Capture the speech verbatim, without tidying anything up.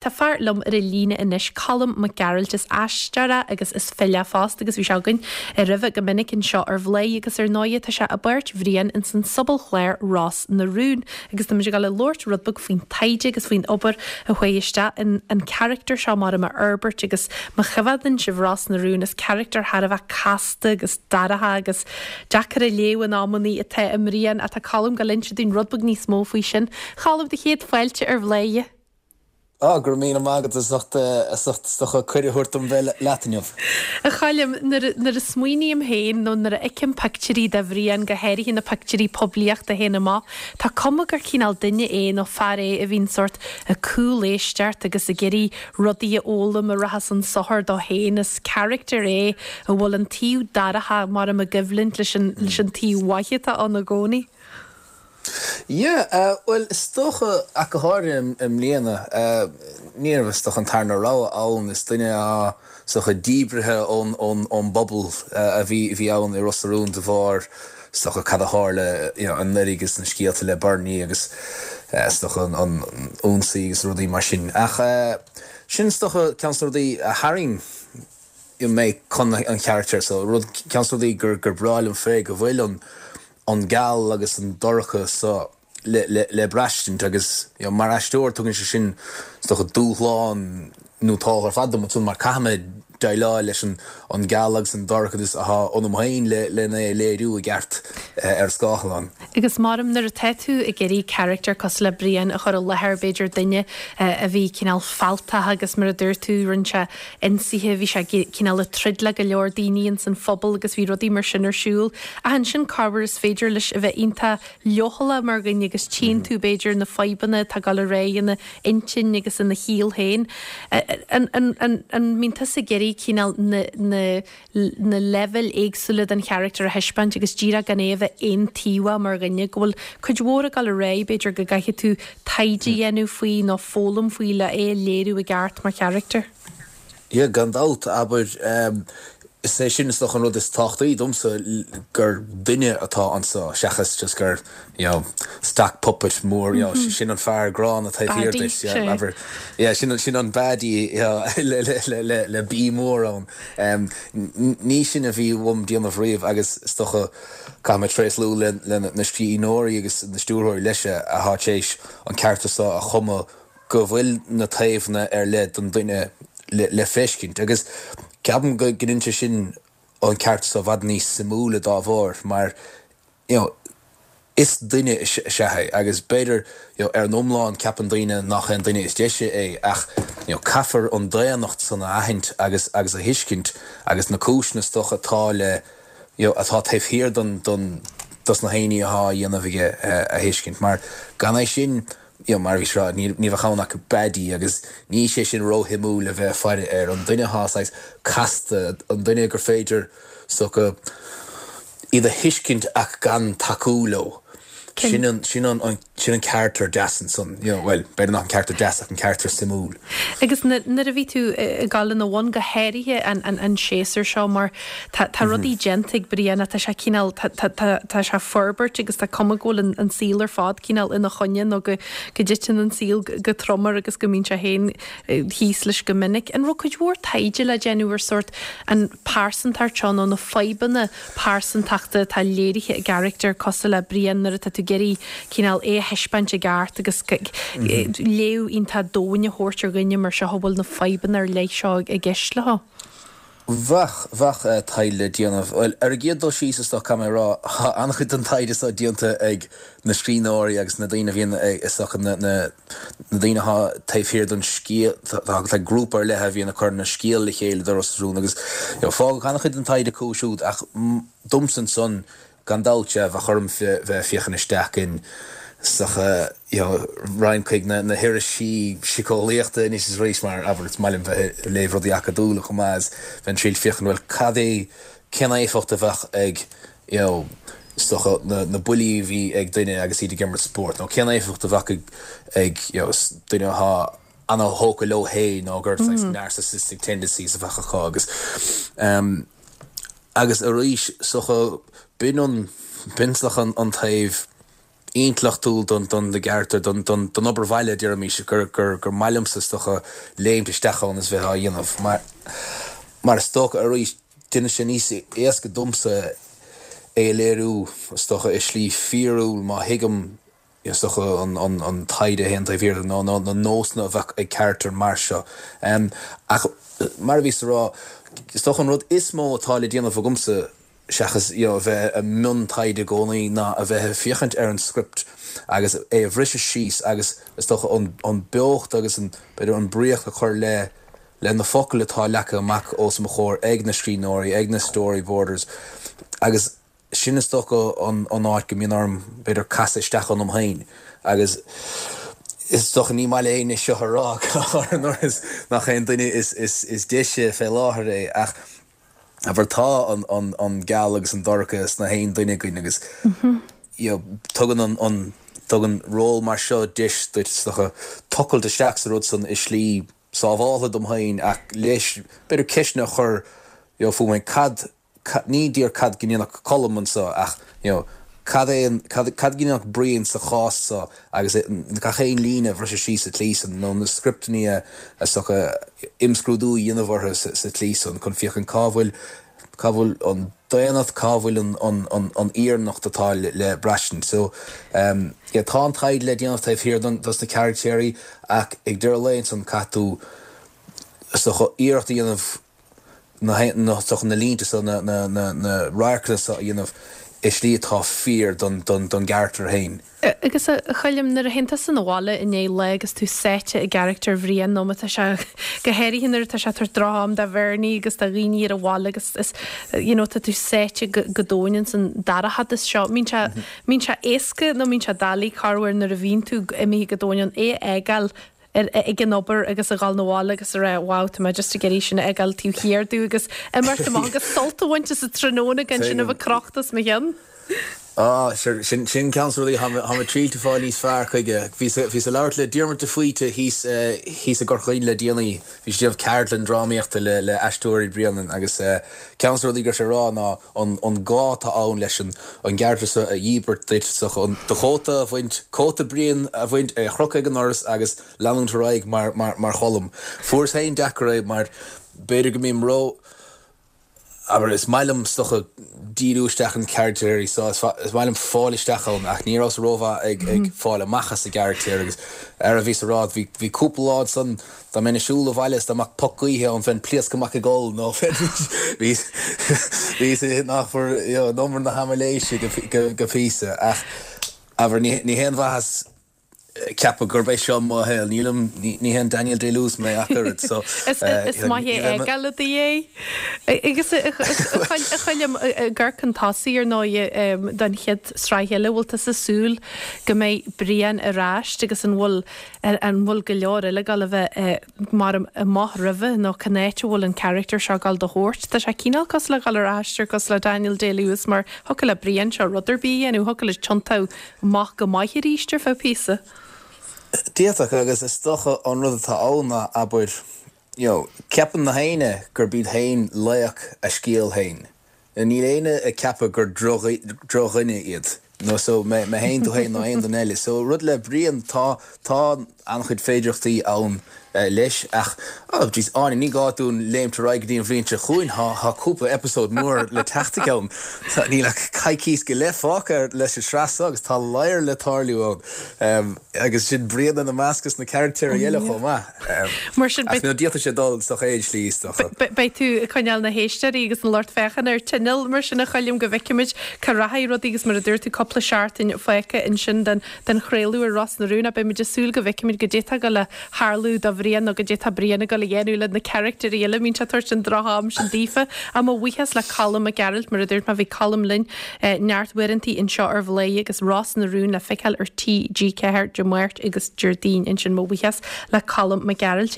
Tá fear liom ar an líne anois Colm Mac Gearailt is aisteoir é agus is file fosta agus bhí sé againn ar roimhe go minic anseo ar Bhladhaire agus ar ndóigh tá sé i bpáirt Bhriain ins an sobalchlár Ros na Rún agus tá muid ag dul a labhairt rud beag faoin taighde agus faoin obair a chuaigh isteach in an charachtar seo mar a fhorbairt agus má choimhéadann sibh Ros na Rún is charachtar thar a bheith casta agus dorcha agus deacair a léamh in amannaí atá i mBrian atá Colm ag dul inse dúinn rud beag níos mó faoi sin. Colm do chéad fáilte ar Bhladhaire. Á gur mí agad is socha cuireadh a thabhairt dom bheith leat inniu. A Choilm nuair a smaoiním féin nó nuair a fheicim pictiúirí de Bhrian go háirithe na pictiúirí poiblíochta féin amach, Tá cuma gur cineál duine é nó fear é a bhíonn sort ag cúléisteacht agus ag iarraidh rudaí a fhoghlaim a rachas an sochar dó féin is charachtar é a bhfuil an taobh dorcha mar am i gcoimhlint leis an leis an taobh mhaith atá ann i gcónaí. Yeah, uh, well is dócha ach go háirithe i mbliana uh, ní raibh is dócha an tarna rogha ann is duine a socha díbrithe ón ón ón bpobal uh, a bhí bhí ann i Ros na Rún de bharr is dócha cad a tharla you know, anuraidh agus na scéalta le Bernie agus uh, is dócha an an ionsaí agus rudaí mar sin. Ach uh, sin is dócha ceann rudaí a tharraing mé chun an charachtar so rud ceann rudaí gur gur breá liom fé go bhfuil an an geal agus an dorcha so le, le, le braistint agus you know, mar aisteoir tugann sé sin is dócha dúshlán nó tá ar fad dom mar caithfidh mé déileáil leis an an geal agus an dorchadas atá ionam féin le lena léiriú i gceart eh, ar scáileán. Agus maram nuair atá tú ag iarraidh charachtar cosúil le Brian a chur i láthair b'fhéidir duine eh, a bhí cineál fealltach agus mar a dúirt tú rinne sé ionsaithe bhí sé cineál ag troid le go leor daoine ins an phobal agus bhí rudaí mar sin ar siúl. A ansin cabhair is féidir leis a bheith iontach leochaileach mar dhuine agus tchíonn tú b'fhéidir na fadhbanna tá gal ré ina intinn agus ina shaol féin. An mbíonn tusa ag iarraidh cineál na, na, na leibhéil éagsúla den charachtar a thaispeáint agus díreach gan é a bheith aontaobhach mar dhuine go bhfuil cuid mhór ag dul ar aghaidh b'fhéidir go gcaithfidh tú taighde a dhéanamh faoi nó foghlaim faoi le é a léiriú i gceart mar charachtar. Ja gan dabht abair um, is é sin is dócha an rud is tábhachtaí domsa gur duine atá anseo seachas just gur you know, stock puppet mór you know, mm -hmm. sin an fear gránna taobh thiar duit yeah, sin sin an baddie le, le, le, le, le B mór ann. Um, ní sin a bhí uaim déanamh riamh agus is dócha caithfidh mé tréaslú le, le na scríbhneoirí agus na stiúrthóirí leis atá théis an charachtar seo a chumadh go bhfuil na taobhanna ar leith den duine le, le feiscint agus ceapaim go ndéanann sin an charachtar seo i bhfad níos suimiúla dá bharr mar you know, is duine is ea é agus b'fhéidir you know, ar an iomlán ceapann daoine nach an duine is deise é ach you know, caithfear an daonnacht san a aithint agus agus a thuiscint agus na cúiseanna is dócha atá le you know, atá taobh thiar don don dos na daoine atá á dhéanamh aige uh, a thuiscint mar gan é sin you know, mar bhí srá ní bheadh ann ach baddie agus ní sé sin róshuimiúil le bheith faire ar an duine atá casta an duine gur féidir so iad a thuiscint ach gan tacú leo. Sin an sin an sin an charachtar deas ansan you know, well b'fhéidir nach an charachtar deas ach an charachtar suimiúil. Agus nuair a bhí tú ag dul ina bhun go háirithe an, an, an séasúr seo mar tá mm -hmm. rudaí déanta ag Brian tá sé cineál tá sé forbairt agus tá cuma go bhfuil an, an saol ar fad cineál ina choinne nó go go dtiteann an saol go trom air agus go mbíonn sé féin thíos leis go minic. An raibh cuid mhór taighde le déanamh ar sort an pearsantacht seo nó na fadhbanna pearsantachta atá léirithe i gcarachtar cosúil le Brian nuair atá tú ag iarraidh cineál é a thaispeáint i gceart agus léamh iontach domhain a thabhairt ar dhuine mar seo a bhfuil na fadhbanna ar leith seo i gceist leo. Bheadh bheadh taighde le déanamh Well ar an gcéad dul síos is dócha mé rá an-chuid den taighde seo déanta ag na scríbhneoirí agus na daoine bhíonn is na na na daoine atá taobh thiar den scéal tá grúpa ar leith a bhíonn ag cur na scéal le chéile do Ros na Rún agus fágadh an-chuid den taighde acu siúd ach domsa ansan gan dabht bheadh orm bheith féachaint isteach in socha roinnt chuig na na hirisí síceolaíochta anois is arís mar abair is maith liom bheith ag léamh rudaí acadúla chomh maith is bheinn triail féachaint bhfuil cad é cén éifeacht a bheadh ag you know, socha na, na buillí a bhí ag duine agus iad ag imirt spórt nó cén éifeacht a bheadh ag, ag you know, duine atá an-tógtha leo féin nó gur mm. narcissistic tendencies a bheadh acu agus um, agus arís socha b'in an b'in an, an taobh intleachtúil don don na gcarachtar don don don obair bhaile deirimis gur gur gur maith liomsa is dócha léimt isteach ann is bheith á dhéanamh mar mar is dócha arís déanann sé níos éasca domsa é a léiriú is dócha i slí fíorúil má thuigim is dócha an an an taighde a théann taobh thiar nó nó na nósanna a bheadh ag carachtar mar seo. Um, ach mar a bhíos a rá is dócha an rud is mó atá le déanamh agamsa seachas you know, a bheith i mbun taighde i gcónaí ná a bheith ag féachaint ar an script agus é a bhriseadh síos agus is dócha an, an beocht agus an b'fhéidir an bríocht a chur le le na focail atá leagtha amach os mo chomhair ag na scríbhneoirí, ag na storyboarders agus sin is dócha an, an áit go mbíonn orm b'fhéidir casadh isteach ionam féin agus is dócha ní maith le éinne seo a rá nach aon duine is, is, is deise fé láthair é ach abair tá an, an, an geal agus an dorcha sna haon duine againn agus mm -hmm. you know, tugann an, an tugann ról mar seo deis duit tochailt isteach sa rud san i slí sábháilte dom féin ach leis b'fhéidir ceisteanna a chur you know, fúm cad, cad ní díreach cad go ndéanfadh Colm anseo ach you know, cad é cad, cad go ndéanfadh Brian sa chás seo agus gach aon líne a bhriseadh síos sa tslí san nó na scripteanna a socha imscrúdú a dhéanamh orthu sa, sa tslí san chun féachaint cá bhfuil cá bhfuil an daonnacht cá bhfuil an, an, an, an fhírinneacht atá le, le braistint. So um, yeah, tá an taighde le déanamh taobh thiar don dos na carachtéirí ach ag deireadh lae ansan caithfidh tú so iarracht a dhéanamh na na na línte so na na na na radharcanna so a dhéanamh i slí atá fíor don don don gcarachtar féin. Agus a Choilm nuair a théann tusa abhaile i ndiaidh lae agus tú sáite i gcarachtar Bhriain nó má tá sé go háirithe nuair atá sé ag tabhairt droch-am do Bhernie agus do dhaoine ar an bhaile agus is you know, tá tú sáite go, go domhain san dorchadas seo. Mbíonn sé mbíonn sé éasca nó mbíonn sé doiligh corruair nuair a bhíonn tú imithe go domhain an é a fhágáil ar ag an obair agus a dhul abhaile agus a rá wow tá mé just ag iarraidh sin a fhágáil taobh thiar domh agus imeacht amach agus sult a bhaint as an tráthnóna gan sin a bheith crochta os mo chionn. Ah, sin sin ceann de na rudaí tá mé triáil fáil níos fearr chuige. Bhí bhíos ag labhairt le Diarmuid de Faoite thíos thíos i gCorca Dhuibhne le déanaí, bhí sé ag déanamh ceardlann drámaíochta le le aisteoirí Bhriain agus ceann de na rudaí go raibh sé ag rá ná an an gá atá ann leis an an gcarachtar seo a dhíbirt duit so an do chóta a bhaint cóta Brian a bhaint é a chrochadh ag an ndoras agus leanúint ar aghaidh mar mar mar Cholm. Fuaireas féin deacair é mar b'fhéidir go mbím ró Aber is maith liom is dócha díriú isteach an carachtar so is maith liom fáil isteach ann ach ní rabhas rómhaith ag ag fáil amach as an gcarachtar agus ar a bhí sa rá bhí bhí cúpla lá san dá mbeinn ag siúl abhaile is dá mbeadh poc gaoithe ann bheinn ag pléascadh amach ag gol nó bhí bhí nach in umar na haimiléise go go píosa ach abair ní ní haon mhaitheas ceapadh gurb é seo mo shaol nílim ní haon Daniel Day-Lewis mé ach oiread so Is is maith é fhágáil i do dhiaidh. Agus a Choilm ag amharc chun tosaigh ar ndóigh don chéad sraith eile bhfuil tusa ag súil go mbeidh Brian ar ais agus an bhfuil an bhfuil go leor eile ag gabháil a bheith mar amach roimhe nó cá háit a bhfuil an charachtar seo ag gabháil do thabhairt. Tá sé cineál cosúil le gabháil ar aistear cosúil le Daniel Day-Lewis mar thiocfadh le Brian seo rud ar bith a dhéanamh, thiocfadh leis tiontú amach go maith arís ar feadh píosa. D'fhéadfadh agus is dócha an rud atá ann ná abair you know, ceapann na héinne gurb iad féin laoch a scéal féin. Níl éinne ag ceapadh gur drochdhuine iad. No so mé mé féin tú féin nó aon duine eile. So rud le Brian tá tá an-chuid féidearthachtaí ann leis ach oh jeez Áine ní gá dúinn léimt ar aghaidh go dtí an bhliain seo chugainn tá tá cúpla episode mór le teacht ann. Tá níl ach coicís go leith fágtha leis an sraith seo agus tá lear le tarlú ann. Um, agus sin Brian ina measc agus na carachtair eile chomh maith. Um, Mar sin ach nó d'fhéadfadh sé dul sa chéad slí isteach. Beidh tú ag coinneáil na héisteoirí agus an lucht féachana ar tinneall mar sin a Choilm go bhfeicfimid cá rachaidh rudaí agus mar a dúirt tú cúpla seachtain fágtha ansin den den chraoladh ar Ros na Rún a beimid ag súil go bhfeicfimid goidé atá ag gabháil a tharlú do Bhrian nó goidé atá Brian ag gabháil a dhéanamh le na carachtair eile mbíonn sé ag tabhairt an droch-am sin daofa. Á mo bhuíochas le Colm Mac Gearailt mar a dúirt mé bhí Colm linn eh, neart uaireantaí anseo ar Bhladhaire agus Ros na Rún le feiceáil ar TG ceathair Dé Máirt agus Déardaoin ansin mo bhuíochas le Colm Mac Gearailt.